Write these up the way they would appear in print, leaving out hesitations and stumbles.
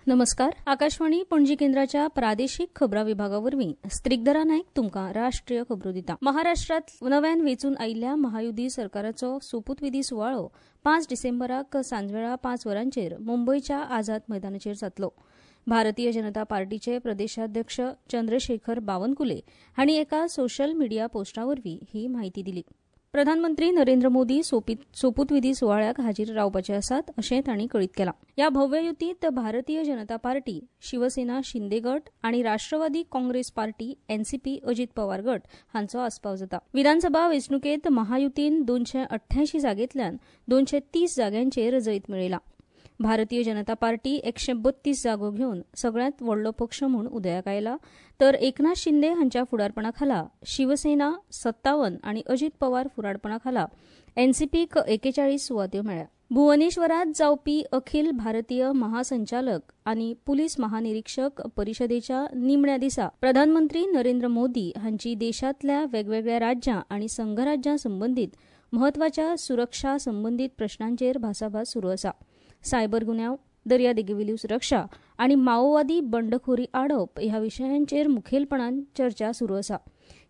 नमस्कार. आकाशवाणी पणजी केंद्राच्या प्रादेशीक खबरां विभागा वरवीं स्त्रिगधरा नायक तुमकां राष्ट्रीय खबरो दिता. महाराष्ट्रांत नव्यान वेंचून आयिल्ल्या महायुती सरकाराचो सोपूतविधी सुवाळो 5 डिसेंबराक सांजवेळा 5 वरांचेर मुंबयच्या आझाद मैदानाचेर जातलो. भारतीय जनता पार्टीचे प्रदेशाध्यक्ष चंद्रशेखर बावनकुले हांणी एका सोशल मिडिया पोस्टा वरवीं ही म्हायती दिली. प्रधानमंत्री नरेंद्र मोदी सोपूतविधी सुवाळ्याक हाजीर रावपाचे आसात अशें तांणी कळीत केलां. ह्या भव्य युतींत भारतीय जनता पार्टी, शिवसेना शिंदे गट आनी राष्ट्रवादी काँग्रेस पार्टी एनसीपी अजीत पवार गट हांचो आस्पाव जाता. विधानसभा वेंचणुकेंत महायुतीन 288 जागेंतल्यान 230 जाग्यांचेर जैत मेळयलां. भारतीय जनता पार्टी 132 जागो घेवन सगळ्यांत व्हडलो पक्ष म्हूण उदयाक आयला, तर एकनाथ शिंदे हांच्या फुडारपणा खाला शिवसेना 57 आनी अजीत पवार फुडारपणा खाला एनसीपीक 41 सुवात्यो मेळ्ळ्या. भुवनेश्वरांत जावपी अखिल भारतीय महासंचालक आनी पुलीस महानिरीक्षक परिशदेच्या निमण्या दिसा प्रधानमंत्री नरेंद्र मोदी हांची देशांतल्या वेगवेगळ्या राज्यां आनी संघराज्यां संबंदीत म्हत्वाच्या सुरक्षा संबंदीत प्रश्नांचेर भासाभास सुरू आसा. सायबर गुन्यांव, दर्यादेगेवेली सुरक्षा आनी माओवादी बंडखोरी आडोवप ह्या विशयांचेर मुखेलपणान चर्चा सुरू आसा.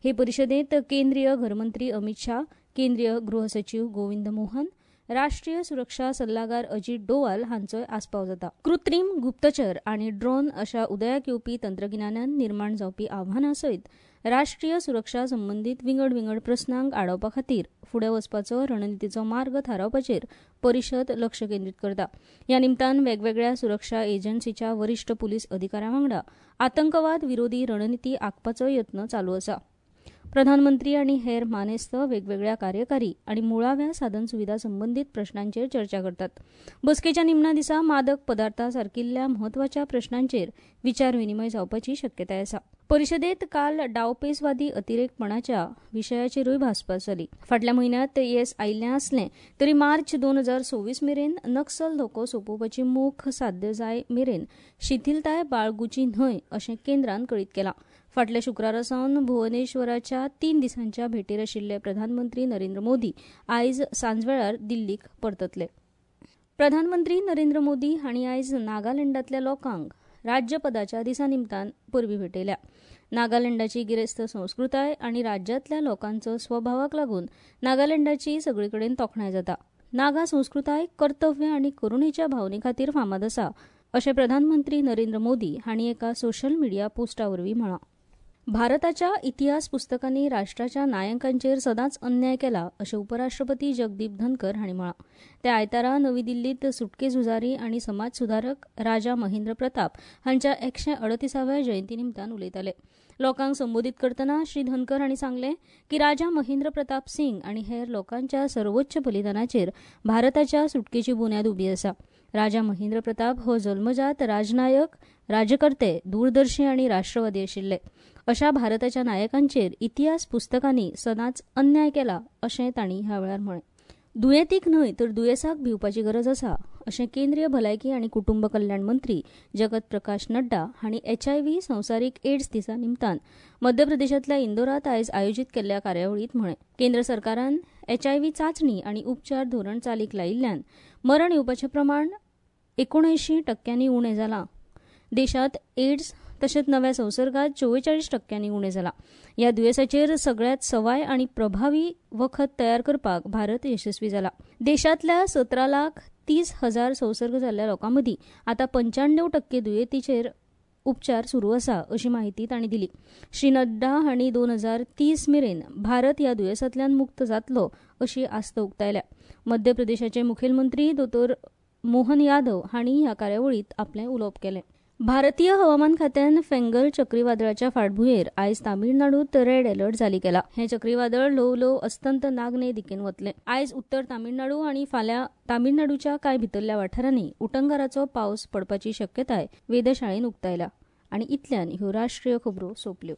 हे परिशदेंत केंद्रीय घरमंत्री अमित शाह, केंद्रीय गृह सचीव गोविंद मोहन, राष्ट्रीय सुरक्षा सल्लागार अजीत डोवाल हांचोय आस्पाव जाता. कृत्रीम गुप्तचर आनी ड्रोन अशा उदयाक येवपी तंत्रगिन्यानान निर्माण जावपी आव्हानां सयत राष्ट्रीय सुरक्षा संबंदीत विंगड विंगड प्रस्नांक आडावपा खातीर फुडें वचपाचो रणनितीचो मार्ग थारावपाचेर परिशद लक्ष केंद्रीत करता. ह्या निमतान वेगवेगळ्या सुरक्षा एजन्सीच्या वरिश्ठ पुलीस अधिकाऱ्यां वांगडा आतंकवाद विरोधी रणनिती आंखपाचो यत्न चालू आसा. प्रधानमंत्री आनी हेर मानेस्त वेगवेगळ्या कार्यकारी आनी मुळाव्या साधनसुविधा संबंदीत प्रश्नांचेर चर्चा करतात. बसकेच्या निमण्या दिसा मादक पदार्थां सारकिल्ल्या म्हत्वाच्या प्रश्नांचेर विचार विनिमय जावपाची शक्यताय आसा. परिशदेंत काल डावपेचवादी अतिरेकपणाच्या विशयाचेरूय भासभास जाली. फाटल्या म्हयन्यांत येस आयिल्लें आसलें तरी मार्च 2026 मेरेन नक्सल धोको सोंपोवपाची मोख साध्य जाय मेरेन शिथिलताय बाळगुची न्हय अशें केंद्रान कळीत केलां. फाटल्या शुक्रारा सावन भुवनेश्वराच्या 3 दिसांच्या भेटीर आशिल्ले प्रधानमंत्री नरेंद्र मोदी आयज सांजवेळार दिल्लीक परततले. प्रधानमंत्री नरेंद्र मोदी हांणी आयज नागालँडांतल्या लोकांक राज्यपदाच्या दिसा निमतान परबीं भेटयल्या. नागालँडाची गिरेस्त संस्कृताय आनी राज्यांतल्या लोकांचो स्वभावाक लागून नागालँडाची सगळे कडेन तोखणाय जाता. नागा संस्कृताय कर्तव्य आनी करुणेच्या भावने खातीर फामाद आसा अशें प्रधानमंत्री नरेंद्र मोदी हांणी एका सोशल मिडिया पोस्टा वरवीं म्हळां. भारताच्या इतिहास पुस्तकांनी राष्ट्राच्या नायकांचेर सदांच अन्याय केला अशें उपराष्ट्रपती जगदीप धनकर हांणी म्हळां. ते आयतारा नवी दिल्लींत सुटके झुजारी आनी समाज सुधारक राजा महेंद्र प्रताप हांच्या 138व्या जयंती निमतान उलयताले. लोकांक संबोधीत करतना श्री धनकर हांणी सांगलें की राजा महेंद्र प्रताप सिंग आनी हेर लोकांच्या सर्वोच्च बलिदानाचेर भारताच्या सुटकेची बुन्याद उबी आसा. राजा महेंद्र प्रताप हो जल्मजात राजनायक, राजकर्ते, दूरदर्शी आनी राष्ट्रवादी आशिल्ले. अशा भारताच्या नायकांचेर इतिहास पुस्तकांनी सदांच अन्याय केला अशें तांणी ह्या वेळार म्हळें. दुयेंतीक न्हय तर दुयेंसाक भिवपाची गरज आसा अशें केंद्रीय भलायकी आनी कुटुंब कल्याण मंत्री जगत प्रकाश नड्डा हांणी एचआयव्ही संवसारीक एड्स दिसा निमतान मध्य प्रदेशांतल्या इंदोरांत आयज आयोजीत केल्ल्या कार्यावळींत म्हळें. केंद्र सरकारान एचआयव्ही चांचणी आनी उपचार धोरण चालीक लायिल्ल्यान मरण येवपाचें प्रमाण 79% उणें जालां. देशांत एड्स तशेंच नव्या संसर्गात 44% उणें जालां. ह्या दुयेंसाचेर सगळ्यांत सवाय आनी प्रभावी वखद तयार करपाक भारत यशस्वी जाला. देशांतल्या 17,30,000 संसर्ग जाल्ल्या लोकां मदीं आतां 95% दुयेंतीचेर उपचार सुरू आसा अशी म्हायती तांणी दिली. श्री नड्डा हांणी 2030 मेरेन भारत ह्या दुयेंसांतल्यान मुक्त जातलो अशी आस्त उक्तायल्या. मध्य प्रदेशाचे मुखेलमंत्री दोतोर मोहन यादव हांणी ह्या कार्यावळींत आपलें उलोवप केलें. भारतीय हवामान खात्यान फेंगल चक्रीवादळाच्या फाटभुंयेर आयज तामिळनाडूत रेड अलर्ट जारी केला. हें चक्रीवादळ ल्हव ल्हव अस्तंत नागने दिकेन वतलें. आयज उत्तर तामिळनाडू आनी फाल्यां तामिळनाडूच्या कांय भितरल्या वाठारांनी उटंगाराचो पावस पडपाची शक्यताय वेधशाळेन उक्तायल्या. आनी इतल्यान ह्यो राष्ट्रीय खबरो सोंपल्यो.